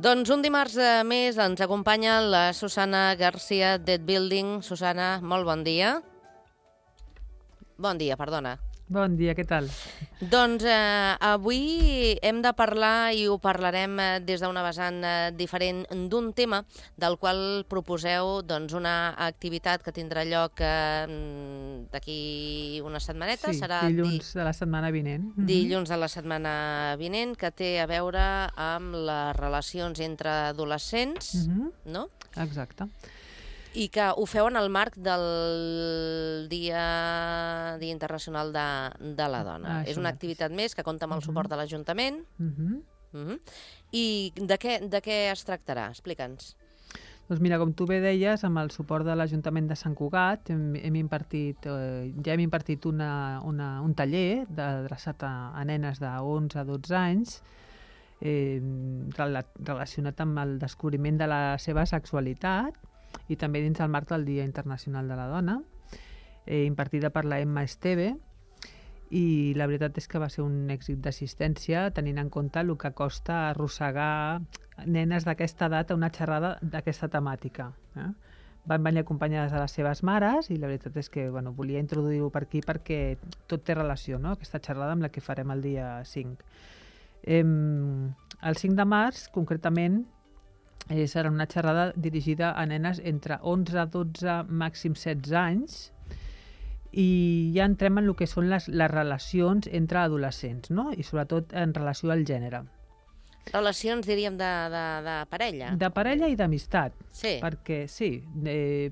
Doncs un dimarts més ens acompanya la Susana García d'Ed Building. Susana, molt bon dia. Bon dia, perdona. Bon dia, què tal? Doncs avui hem de parlar, i ho parlarem des d'una vessant diferent, d'un tema del qual proposeu una activitat que tindrà lloc d'aquí unes setmanetes. Sí, serà dilluns de la setmana vinent. Dilluns de la setmana vinent, que té a veure amb les relacions entre adolescents, no? Exacte. I que ho feu en el marc del Dia Internacional de la Dona. És una activitat més que compta amb el suport de l'Ajuntament. I de què es tractarà? Explica'ns. Doncs mira, com tu bé deies, amb el suport de l'Ajuntament de Sant Cugat ja hem impartit un taller adreçat a nenes de 11 a 12 anys relacionat amb el descobriment de la seva sexualitat i també dins el marc del Dia Internacional de la Dona, impartida per la Emma Esteve, i la veritat és que va ser un èxit d'assistència, tenint en compte el que costa arrossegar nenes d'aquesta edat a una xerrada d'aquesta temàtica. Van venir acompanyades de les seves mares i la veritat és que volia introduir-ho per aquí perquè tot té relació, no? Aquesta xerrada amb la que farem el dia 5. El 5 de març, concretament, serà una xerrada dirigida a nenes entre 11 a 12, màxim 16 anys, i ja entrem en el que són les relacions entre adolescents, no? I sobretot en relació al gènere. Relacions, diríem, de parella. De parella i d'amistat. Sí. Perquè sí,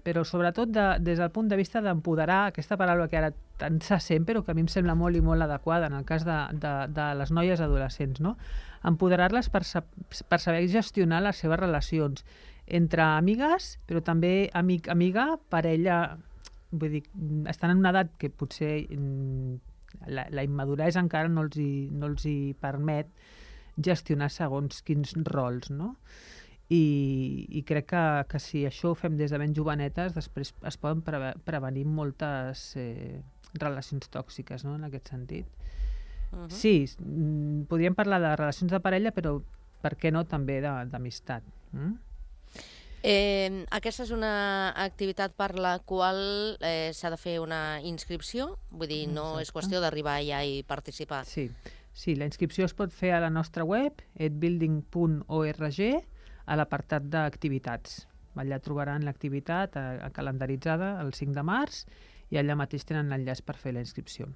però sobretot des del punt de vista d'empoderar, aquesta paraula que ara tant se sent, però que a mi em sembla molt i molt adequada en el cas de les noies adolescents, no? Empoderar-les per saber gestionar les seves relacions entre amigues, però també amiga, parella. Vull dir, estan en una edat que potser la immaduresa encara no els hi permet gestionar segons quins rols, no? I crec que si això ho fem des de ben jovenetes, després es poden prevenir moltes relacions tòxiques, no?, en aquest sentit. Sí, podríem parlar de relacions de parella, però per què no també d'amistat? Aquesta és una activitat per la qual s'ha de fer una inscripció? Vull dir, no és qüestió d'arribar allà i participar. Sí, la inscripció es pot fer a la nostra web, edbuilding.org, a l'apartat d'activitats. Allà trobaran l'activitat calendaritzada el 5 de març i allà mateix tenen l'enllaç per fer la inscripció.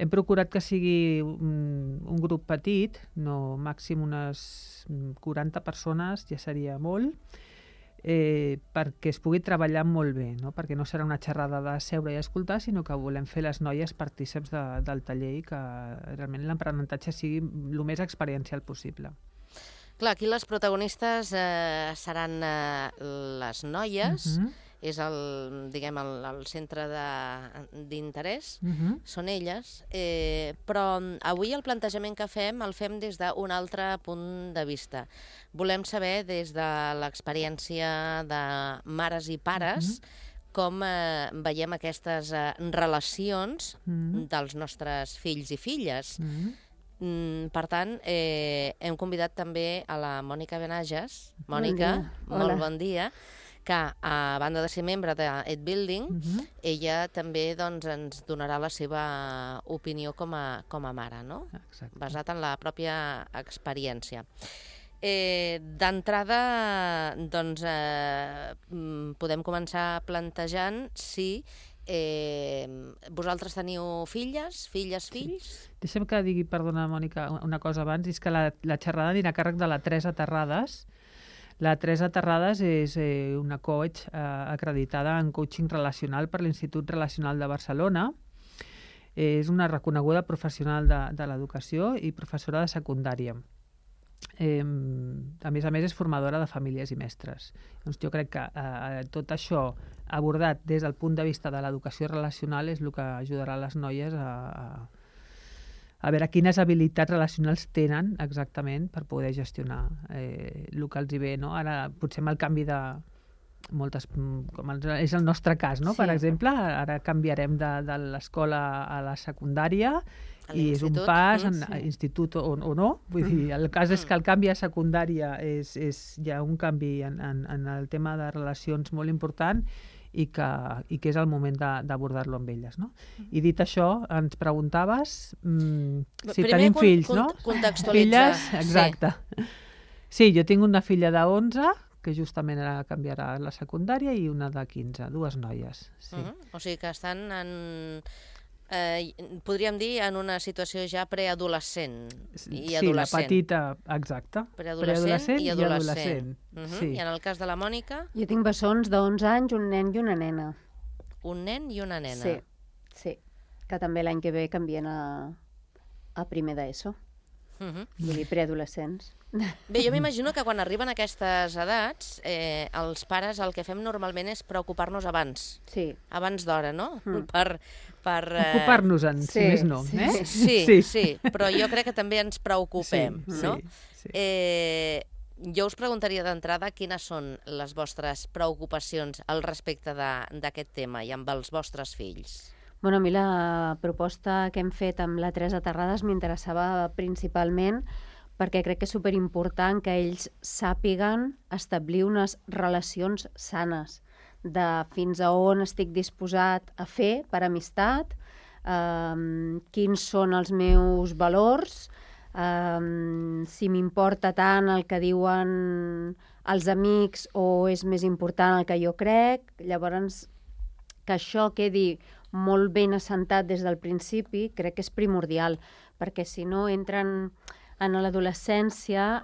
Hem procurat que sigui un grup petit, no, màxim unes 40 persones, ja seria molt, perquè es pugui treballar molt bé, no? Perquè no serà una xerrada de seure i escoltar, sinó que volem fer les noies partíceps del taller i que realment l'aprenentatge sigui el més experiencial possible. Clar, aquí les protagonistes seran les noies, és el centre d'interès, són elles, però avui el plantejament que fem el fem des d'un altre punt de vista. Volem saber des de l'experiència de mares i pares com veiem aquestes relacions dels nostres fills i filles. Per tant, hem convidat també a la Mònica Benages. Mònica, molt bon dia, que a banda de ser membre d'Ed Building, ella també ens donarà la seva opinió com a mare, no? Exacte. Basat en la pròpia experiència. D'entrada, podem començar plantejant si vosaltres teniu filles, fills? Deixa'm que digui, perdona, Mònica, una cosa abans, és que la xerrada anirà a càrrec de la Teresa Terrades. La Teresa Terrades és una coach acreditada en coaching relacional per l'Institut Relacional de Barcelona. És una reconeguda professional de l'educació i professora de secundària. A més, és formadora de famílies i mestres. Doncs jo crec que tot això abordat des del punt de vista de l'educació relacional és el que ajudarà les noies a veure quines habilitats relacionals tenen exactament per poder gestionar el que els hi ve, no? Ara, potser amb el canvi de moltes, com és el nostre cas, no? Sí. Per exemple, ara canviarem de l'escola a la secundària I és un pas a institut o no. Vull dir, el cas és que el canvi a secundària hi ha un canvi en el tema de relacions molt important i que és el moment d'abordar-lo amb elles, no? I dit això, ens preguntaves si tenim fills, no? Filles, exacte. Sí, jo tinc una filla de 11, que justament ara canviarà la secundària, i una de 15, dues noies. Sí. O sigui que estan podríem dir en una situació ja preadolescent i adolescent. Sí, la petita, exacte. Preadolescent i adolescent. Sí. I en el cas de la Mònica? Jo tinc bessons d'11 anys, un nen i una nena. Un nen i una nena. Sí. Que també l'any que ve canvien a primer d'ESO. Vull dir, preadolescents. Bé, jo m'imagino que quan arriben aquestes edats, els pares el que fem normalment és preocupar-nos abans. Sí. Abans d'hora, no? Per ocupar-nos-en, si més no. Sí, però jo crec que també ens preocupem, no? Jo us preguntaria d'entrada quines són les vostres preocupacions al respecte d'aquest tema i amb els vostres fills. Bueno, a mi la proposta que hem fet amb la Teresa Terrades m'interessava principalment perquè crec que és superimportant que ells sàpiguen establir unes relacions sanes, de fins a on estic disposat a fer per amistat, quins són els meus valors, si m'importa tant el que diuen els amics o és més important el que jo crec. Llavors, que això quedi molt ben assentat des del principi crec que és primordial, perquè si no entren en l'adolescència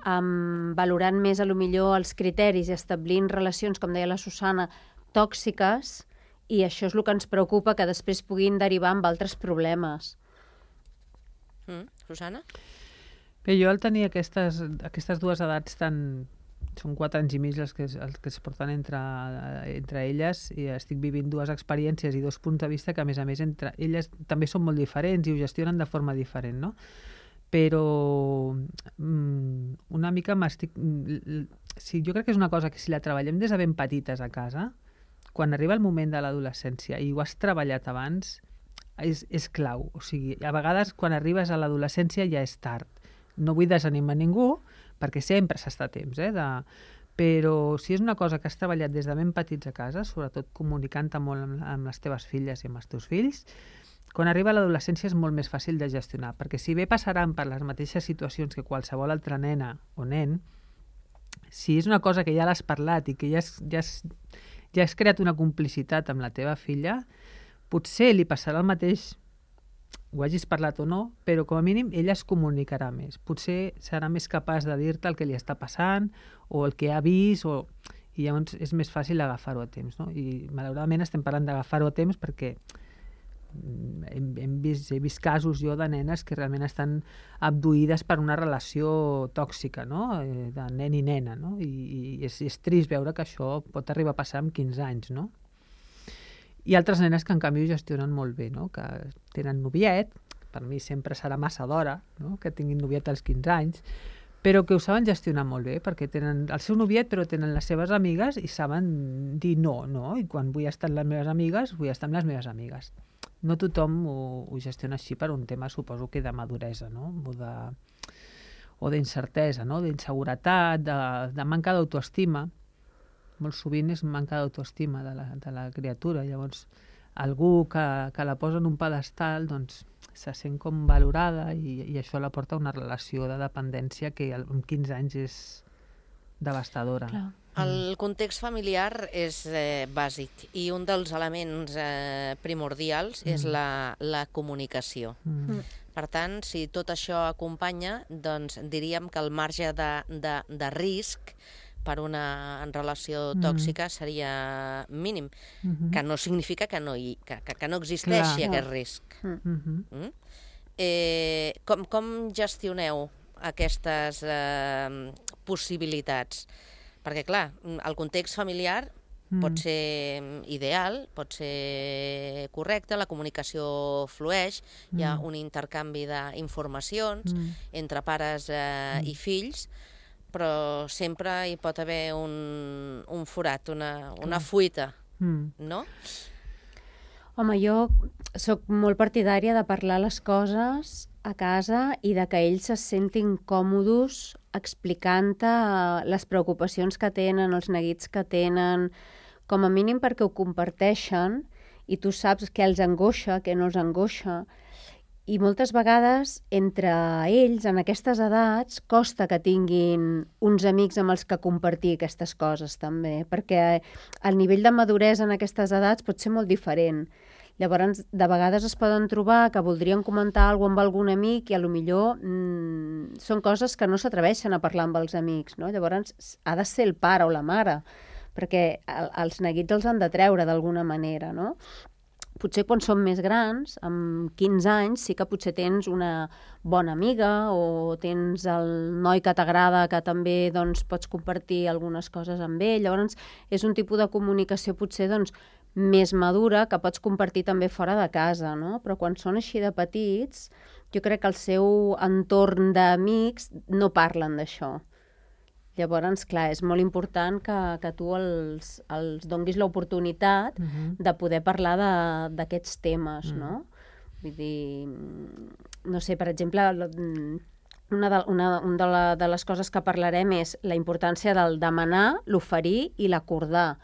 valorant més a lo millor els criteris i establint relacions, com deia la Susana, tòxiques, i això és el que ens preocupa, que després puguin derivar en altres problemes. Susana? Bé, jo al tenir aquestes dues edats són 4 anys i mig els que es porten entre elles, i estic vivint dues experiències i 2 punts de vista que, a més, entre elles també són molt diferents i ho gestionen de forma diferent, no? Però una mica sí, jo crec que és una cosa que si la treballem des de ben petites a casa, quan arriba el moment de l'adolescència i ho has treballat abans, és clau. O sigui, a vegades quan arribes a l'adolescència ja és tard. No vull desanimar ningú, perquè sempre s'està a temps, però si és una cosa que has treballat des de ben petits a casa, sobretot comunicant-te molt amb les teves filles i amb els teus fills, quan arriba a l'adolescència és molt més fàcil de gestionar, perquè si bé passaran per les mateixes situacions que qualsevol altra nena o nen, si és una cosa que ja l'has parlat i que ja has creat una complicitat amb la teva filla, potser li passarà el mateix, ho hagis parlat o no, però com a mínim ella es comunicarà més. Potser serà més capaç de dir-te el que li està passant o el que ha vist, i llavors és més fàcil agafar-ho a temps, no? I malauradament estem parlant d'agafar-ho a temps perquè he vist casos jo de nenes que realment estan abduïdes per una relació tòxica, no? De nen i nena, no? I és trist veure que això pot arribar a passar amb 15 anys, no? I altres nenes que en canvi ho gestionen molt bé, no? Que tenen noviet, per mi sempre serà massa d'hora, no? Que tinguin noviet als 15 anys, però que ho saben gestionar molt bé, perquè tenen el seu noviet però tenen les seves amigues i saben dir no, i quan vull estar amb les meves amigues, vull estar amb les meves amigues. No tothom ho gestiona així per un tema, suposo que de maduresa, no? O d'incertesa, no? D'inseguretat, de manca d'autoestima. Molt sovint és manca d'autoestima de la criatura. Llavors, algú que la posa en un pedestal, doncs, se sent com valorada i això la porta a una relació de dependència que amb 15 anys és devastadora. Clar. El context familiar és bàsic i un dels elements primordials és la comunicació. Per tant, si tot això acompanya, doncs diríem que el marge de risc per una relació tòxica seria mínim, que no significa que no existeixi aquest risc. Com gestioneu aquestes possibilitats? Perquè, clar, el context familiar pot ser ideal, pot ser correcte, la comunicació flueix, hi ha un intercanvi d'informacions entre pares i fills, però sempre hi pot haver un forat, una fuita, no? Home, jo sóc molt partidària de parlar les coses a casa i de que ells se sentin còmodes explicant-te les preocupacions que tenen, els neguits que tenen, com a mínim perquè ho comparteixen i tu saps què els angoixa, què no els angoixa. I moltes vegades, entre ells, en aquestes edats, costa que tinguin uns amics amb els que compartir aquestes coses, també, perquè el nivell de maduresa en aquestes edats pot ser molt diferent. Llavors, de vegades es poden trobar que voldrien comentar alguna cosa amb algun amic i potser són coses que no s'atreveixen a parlar amb els amics, no? Llavors, ha de ser el pare o la mare, perquè els neguits els han de treure d'alguna manera, no? Potser quan som més grans, amb 15 anys, sí que potser tens una bona amiga o tens el noi que t'agrada que també doncs, pots compartir algunes coses amb ell. Llavors, és un tipus de comunicació potser doncs, més madura que pots compartir també fora de casa, no? Però quan són així de petits, jo crec que el seu entorn d'amics no parlen d'això. Llavors, clar, és molt important que tu els donguis l'oportunitat de poder parlar d'aquests temes, no? Vull dir, no sé, per exemple, una de les coses que parlarem és la importància del demanar, l'oferir i l'acordar.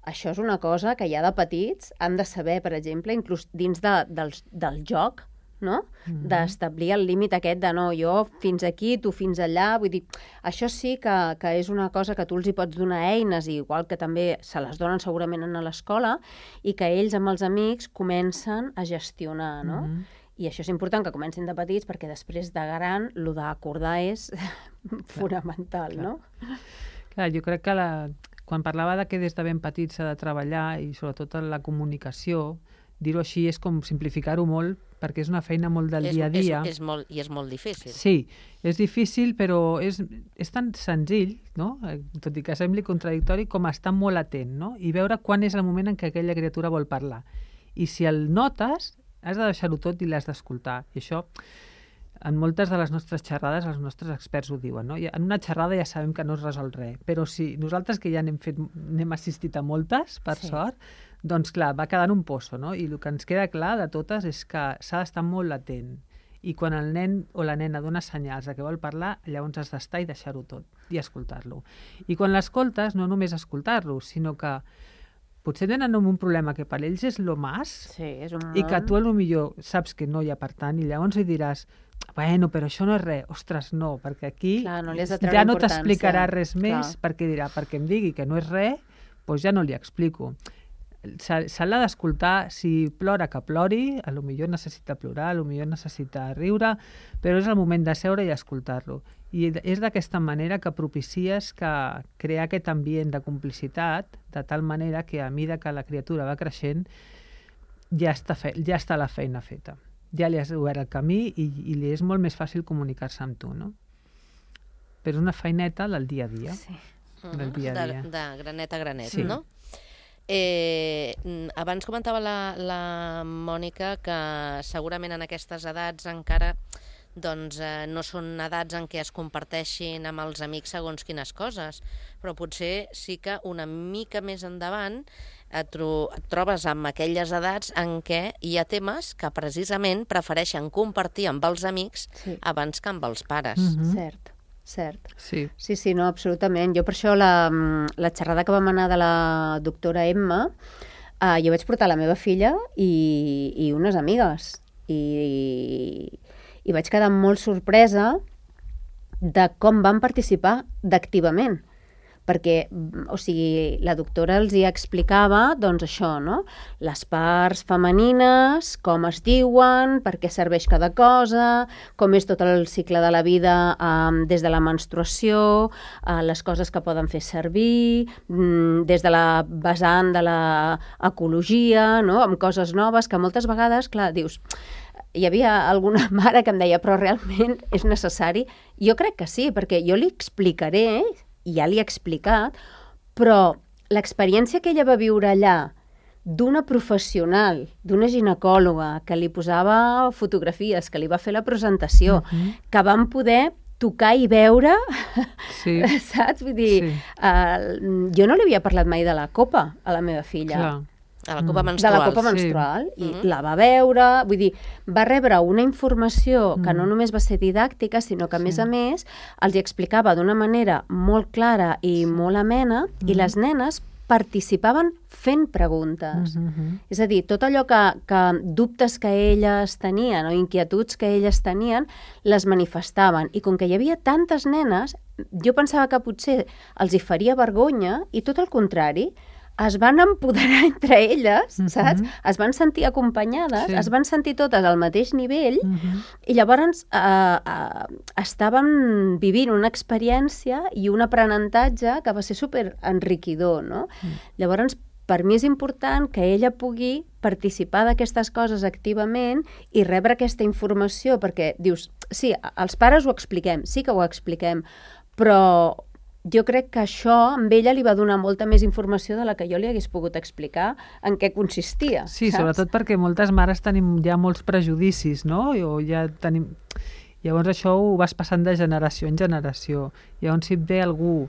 Això és una cosa que ja de petits han de saber, per exemple, inclús dins del joc, no? D'establir el límit aquest de no, jo fins aquí, tu fins allà, vull dir, això sí que és una cosa que tu els hi pots donar eines, igual que també se les donen segurament a l'escola, i que ells amb els amics comencen a gestionar, no? I això és important que comencin de petits perquè després de gran el d'acordar és fonamental, no? Clar, jo crec que quan parlava de que des de ben petits s'ha de treballar i sobretot en la comunicació, dir-ho així és com simplificar-ho molt perquè és una feina molt del dia a dia. És molt difícil. Sí, és difícil, però és tan senzill, no? Tot i que sembli contradictori, com estar molt atent, no? I veure quan és el moment en què aquella criatura vol parlar. I si el notes, has de deixar-ho tot i l'has d'escoltar. I això, en moltes de les nostres xerrades, els nostres experts ho diuen, no? En una xerrada ja sabem que no es resol res, però si nosaltres que ja n'hem assistit a moltes, per sort, doncs clar, va quedant un pozo, no? I el que ens queda clar de totes és que s'ha d'estar molt atent. I quan el nen o la nena dona senyals de que vol parlar, llavors has d'estar i deixar-ho tot i escoltar-lo. I quan l'escoltes, no només escoltar-lo, sinó que potser tenen un problema que per ells és lo más, i que tu potser saps que no hi ha per tant, i llavors li diràs, bueno, però això no és res. Ostres, no, perquè aquí ja no t'explicarà res més, perquè dirà, perquè em digui que no és res, doncs ja no li explico. Se l'ha d'escoltar, si plora que plori, potser necessita plorar, potser necessita riure, però és el moment de seure i escoltar-lo. I és d'aquesta manera que propicies crear aquest ambient de complicitat, de tal manera que a mesura que la criatura va creixent ja està la feina feta. Ja li has obert el camí i li és molt més fàcil comunicar-se amb tu, no? Però és una feineta del dia a dia. Sí. De granet a granet, no? Abans comentava la Mònica que segurament en aquestes edats encara no són edats en què es comparteixin amb els amics segons quines coses, però potser sí que una mica més endavant et trobes amb aquelles edats en què hi ha temes que precisament prefereixen compartir amb els amics abans que amb els pares. Cert. Sí, no, absolutament. Jo per això la xerrada que vam anar de la doctora Emma, jo vaig portar la meva filla i unes amigues. I vaig quedar molt sorpresa de com van participar d'activament. Perquè, o sigui, la doctora els hi explicava, doncs això, no? Les parts femenines, com es diuen, per què serveix cada cosa, com és tot el cicle de la vida des de la menstruació, les coses que poden fer servir, des de la vessant de l'ecologia, no? Amb coses noves, que moltes vegades, clar, dius... Hi havia alguna mare que em deia, però realment és necessari? Jo crec que sí, perquè jo li explicaré, i ja li he explicat, però l'experiència que ella va viure allà d'una professional, d'una ginecòloga, que li posava fotografies, que li va fer la presentació, que vam poder tocar i veure, saps? Vull dir, jo no li havia parlat mai de la copa a la meva filla. A la copa de menstrual. la copa menstrual, i la va veure, vull dir, va rebre una informació que no només va ser didàctica, sinó que, a més, els hi explicava d'una manera molt clara i molt amena, i les nenes participaven fent preguntes. És a dir, tot allò que dubtes que elles tenien o inquietuds que elles tenien, les manifestaven. I com que hi havia tantes nenes, jo pensava que potser els hi faria vergonya, i tot el contrari, es van empoderar entre elles, saps? Es van sentir acompanyades, es van sentir totes al mateix nivell, i llavors estaven vivint una experiència i un aprenentatge que va ser superenriquidor, no? Llavors, per mi és important que ella pugui participar d'aquestes coses activament i rebre aquesta informació, perquè dius, sí, els pares ho expliquem, sí que ho expliquem, però jo crec que això amb ella li va donar molta més informació de la que jo li hagués pogut explicar en què consistia. Sí, sobretot perquè moltes mares tenim ja molts prejudicis, no? O ja tenim... Llavors això ho vas passant de generació en generació. Llavors si et ve algú,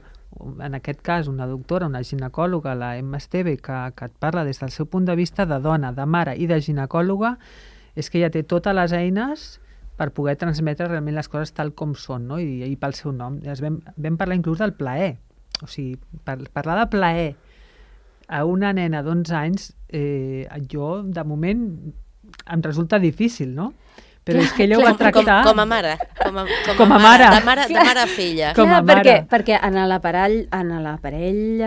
en aquest cas una doctora, una ginecòloga, la Emma Esteve, que et parla des del seu punt de vista de dona, de mare i de ginecòloga, és que ja té totes les eines per poder transmetre realment les coses tal com són, no? I pel seu nom. Vam parlar inclús del plaer. O sigui, parlar de plaer a una nena d'11 anys, jo, de moment, em resulta difícil, no? Però és que ella ho va tractar... Com a mare. Com a mare. De mare a filla. Com a mare. Perquè en l'aparell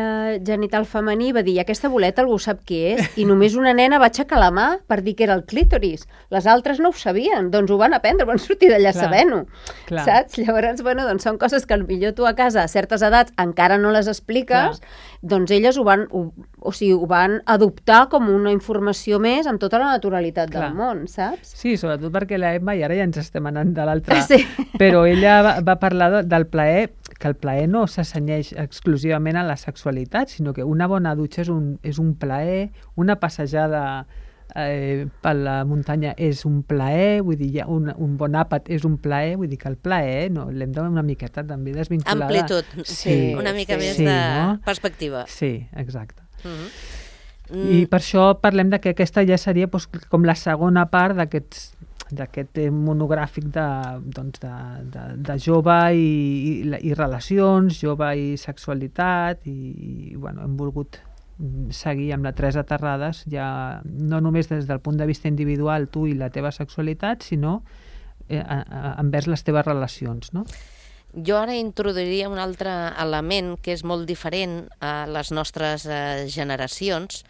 genital femení va dir, aquesta boleta algú sap qui és, i només una nena va aixecar la mà per dir que era el clítoris. Les altres no ho sabien, doncs ho van aprendre, van sortir d'allà sabent-ho. Saps? Llavors, bueno, doncs són coses que potser tu a casa, a certes edats, encara no les expliques, doncs elles ho van adoptar com una informació més amb tota la naturalitat del món, saps? Sí, sobretot perquè la Emma, i ara ja ens estem anant de l'altra, però ella va parlar del plaer, que el plaer no s'assenyeix exclusivament a la sexualitat, sinó que una bona dutxa és un plaer, una passejada per la muntanya és un plaer, vull dir, un bon àpat és un plaer, vull dir que el plaer l'hem de una miqueta també desvinculada. Amplitud, una mica més de perspectiva. Sí, exacte. I per això parlem que aquesta ja seria com la segona part d'aquest monogràfic de jove i relacions, jove i sexualitat, i bueno, hem volgut seguir amb la Teresa Terrades, ja no només des del punt de vista individual, tu i la teva sexualitat, sinó envers les teves relacions, no? Jo ara introduiria un altre element que és molt diferent a les nostres generacions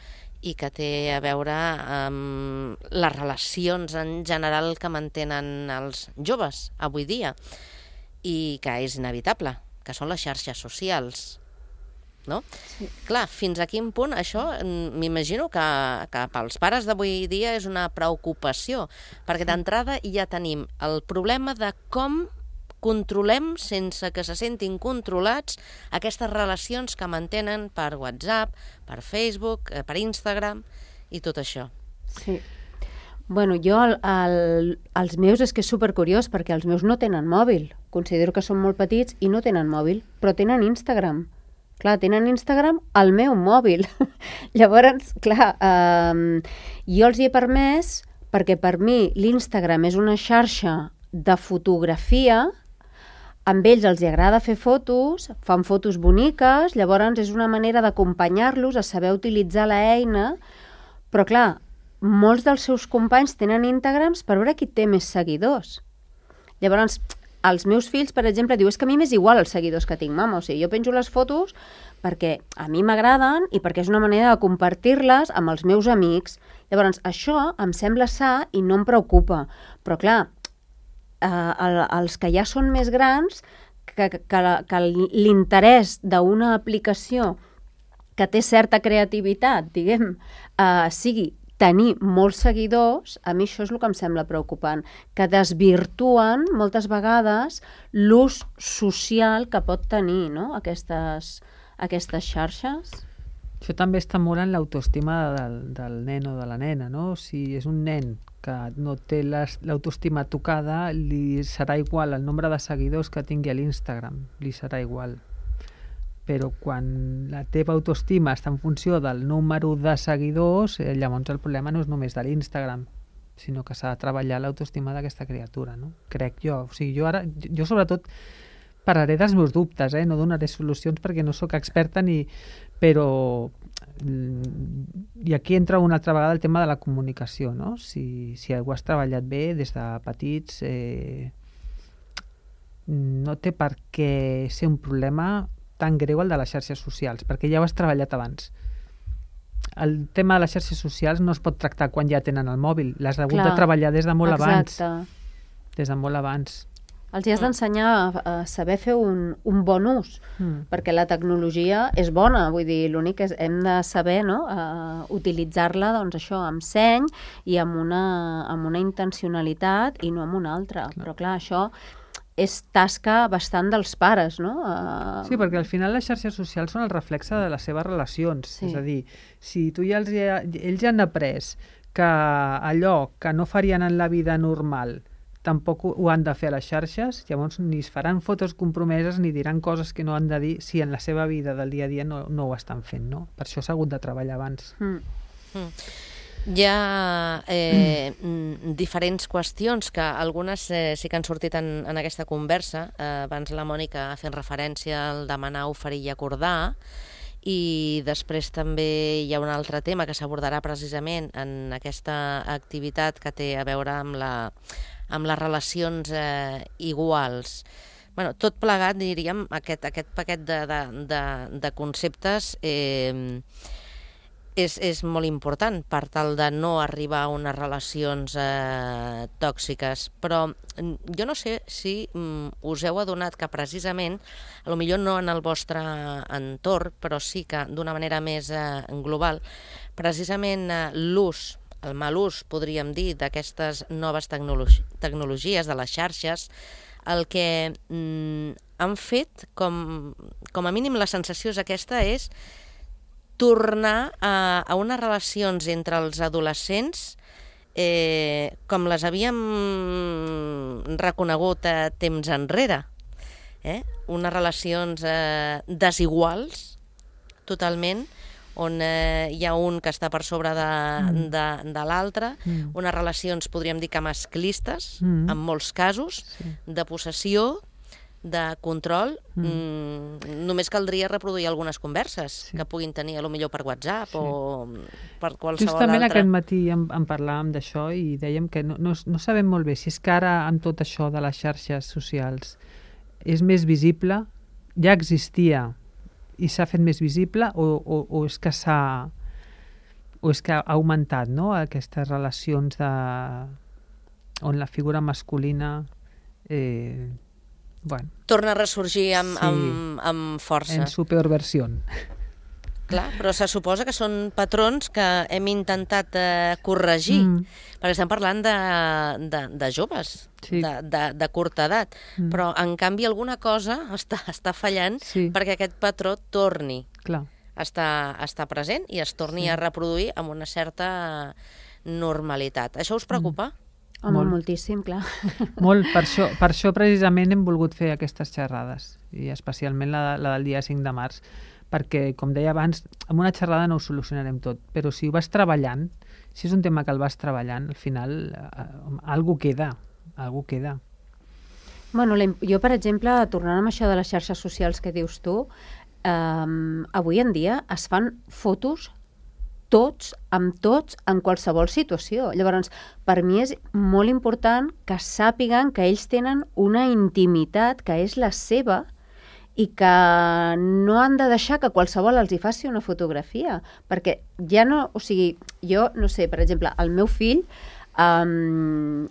i que té a veure amb les relacions en general que mantenen els joves avui dia i que és inevitable, que són les xarxes socials. No? Sí. Clar, fins a quin punt això m'imagino que pels pares d'avui dia és una preocupació, perquè d'entrada ja tenim el problema de com controlem sense que se sentin controlats aquestes relacions que mantenen per WhatsApp, per Facebook, per Instagram i tot això. Sí. Bueno, jo els meus és que és supercuriós perquè els meus no tenen mòbil. Considero que són molt petits i no tenen mòbil, però tenen Instagram. Clar, tenen Instagram al meu mòbil. Llavors, clar, jo els hi he permès perquè per mi l'Instagram és una xarxa de fotografia. Amb ells els agrada fer fotos, fan fotos boniques, llavors és una manera d'acompanyar-los a saber utilitzar l'eina, però clar, molts dels seus companys tenen Instagrams per veure qui té més seguidors. Llavors, els meus fills, per exemple, diuen, és que a mi m'és igual els seguidors que tinc, mama, o sigui, jo penjo les fotos perquè a mi m'agraden i perquè és una manera de compartir-les amb els meus amics. Llavors, això em sembla sa i no em preocupa, però clar, els que ja són més grans, que l'interès d'una aplicació que té certa creativitat, diguem, sigui tenir molts seguidors, a mi això és el que em sembla preocupant, que desvirtuen moltes vegades l'ús social que pot tenir, no? aquestes xarxes. Això també està molt en l'autoestima del nen o de la nena, no? Si és un nen que no té l'autoestima tocada, li serà igual el nombre de seguidors que tingui a l'Instagram, li serà igual. però quan la teva autoestima està en funció del número de seguidors, llavors el problema no és només de l'Instagram, sinó que s'ha de treballar l'autoestima d'aquesta criatura, no? Crec jo. O sigui, jo sobretot parlaré dels meus dubtes, no donaré solucions perquè no sóc experta però i aquí entra una altra vegada el tema de la comunicació, no? Si ho has treballat bé des de petits, no té per què ser un problema tan greu el de les xarxes socials, perquè ja ho has treballat abans. El tema de les xarxes socials no es pot tractar quan ja tenen el mòbil, l'has hagut de treballar des de molt abans. Des de molt abans. Els has d'ensenyar a saber fer un bon ús, perquè la tecnologia és bona, vull dir, l'únic és hem de saber utilitzar-la, doncs això, amb seny i amb una intencionalitat i no amb una altra. Però clar, això és tasca bastant dels pares, no? Sí, perquè al final les xarxes socials són el reflexe de les seves relacions. És a dir, si tu ells ja han après que allò que no farien en la vida normal tampoc ho han de fer a les xarxes, llavors ni es faran fotos compromeses ni diran coses que no han de dir si en la seva vida del dia a dia no ho estan fent, no? Per això s'ha hagut de treballar abans. Hi ha diferents qüestions que algunes sí que han sortit en aquesta conversa. Abans la Mònica fent referència al demanar, oferir i acordar, i després també hi ha un altre tema que s'abordarà precisament en aquesta activitat que té a veure amb les relacions iguals. Tot plegat, diríem, aquest paquet de conceptes és molt important per tal de no arribar a unes relacions tòxiques. Però jo no sé si us heu adonat que precisament, potser no en el vostre entorn, però sí que d'una manera més global, precisament l'ús, el mal ús, podríem dir, d'aquestes noves tecnologies, de les xarxes, el que han fet, com a mínim la sensació és aquesta, és tornar a unes relacions entre els adolescents com les havíem reconegut temps enrere. Unes relacions desiguals, totalment, on hi ha un que està per sobre de l'altre, unes relacions, podríem dir que masclistes, en molts casos, de possessió, de control. Només caldria reproduir algunes converses que puguin tenir, potser per WhatsApp o per qualsevol altra. Justament aquest matí en parlàvem d'això i dèiem que no sabem molt bé si és que ara amb tot això de les xarxes socials és més visible, ja existia i s'ha fet més visible o és que ha augmentat, no? Aquestes relacions on la figura masculina torna a ressorgir amb força. En superversió. Clar, però se suposa que són patrons que hem intentat corregir, perquè estem parlant de joves, de curta edat, però en canvi alguna cosa està fallant perquè aquest patró torni a estar present i es torni a reproduir amb una certa normalitat. Això us preocupa? Home, moltíssim, clar. Molt, per això precisament hem volgut fer aquestes xerrades, i especialment la del dia 5 de març, perquè, com deia abans, amb una xerrada no ho solucionarem tot, però si ho vas treballant, si és un tema que el vas treballant, al final algú queda. Bueno, jo, per exemple, tornant amb això de les xarxes socials que dius tu, avui en dia es fan fotos tots, en qualsevol situació. Llavors, per mi és molt important que sàpiguen que ells tenen una intimitat que és la seva i que no han de deixar que qualsevol els hi faci una fotografia, perquè ja no... O sigui, jo, no sé, per exemple, el meu fill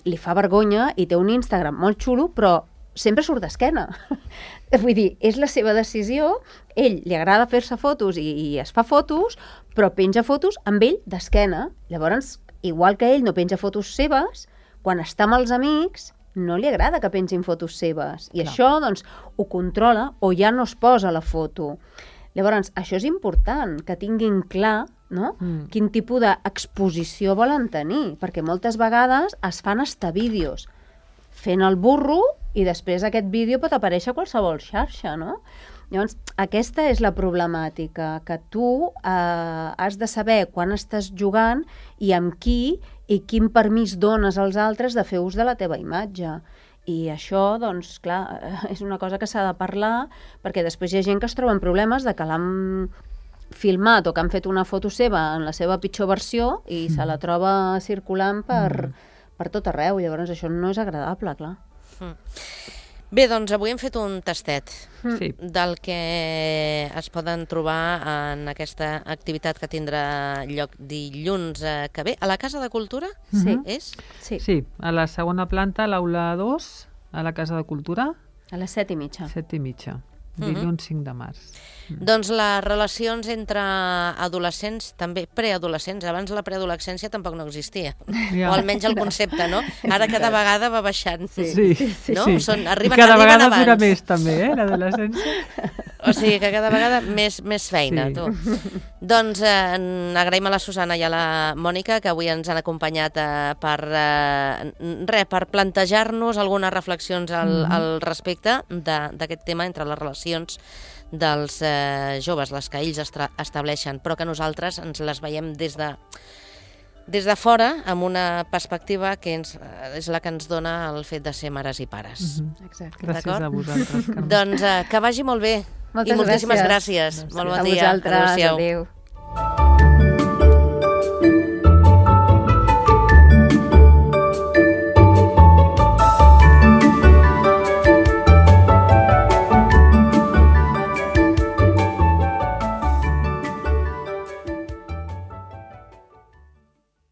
li fa vergonya i té un Instagram molt xulo, però sempre surt d'esquena. Vull dir, és la seva decisió, ell li agrada fer-se fotos i es fa fotos, però penja fotos amb ell d'esquena. Llavors, igual que ell no penja fotos seves, quan està amb els amics no li agrada que pengin fotos seves. I això, doncs, ho controla o ja no es posa la foto. Llavors, això és important, que tinguin clar, no? Quin tipus d'exposició volen tenir, perquè moltes vegades es fan hasta vídeos fent el burro i després aquest vídeo pot aparèixer a qualsevol xarxa, no? Llavors, aquesta és la problemàtica, que tu has de saber quan estàs jugant i amb qui i quin permís dones als altres de fer ús de la teva imatge. I això, doncs, clar, és una cosa que s'ha de parlar, perquè després hi ha gent que es troba en problemes de que l'han filmat o que han fet una foto seva en la seva pitjor versió i se la troba circulant per tot arreu. Llavors això no és agradable, clar. Bé, doncs avui hem fet un tastet del que es poden trobar en aquesta activitat que tindrà lloc dilluns que ve. A la Casa de Cultura? Sí. És? Sí, a la segona planta, a l'aula 2, a la Casa de Cultura. A les 7:30. 7:30, dilluns 5 de març. Doncs les relacions entre adolescents, també preadolescents, abans la preadolescència tampoc no existia, o almenys el concepte, no? Ara cada vegada va baixant, no? Cada vegada dura més també, l'adolescència. O sigui que cada vegada més feina, tu. Doncs agraïm a la Susana i a la Mònica que avui ens han acompanyat per plantejar-nos algunes reflexions al respecte d'aquest tema entre les relacions dels joves, les que ells estableixen, però que nosaltres ens les veiem des de fora, amb una perspectiva que és la que ens dona el fet de ser mares i pares. Exacte. Gràcies a vosaltres. Doncs que vagi molt bé. Moltes I moltíssimes gràcies. gràcies. Molt bon dia. A vosaltres. Adéu-siau. Adéu.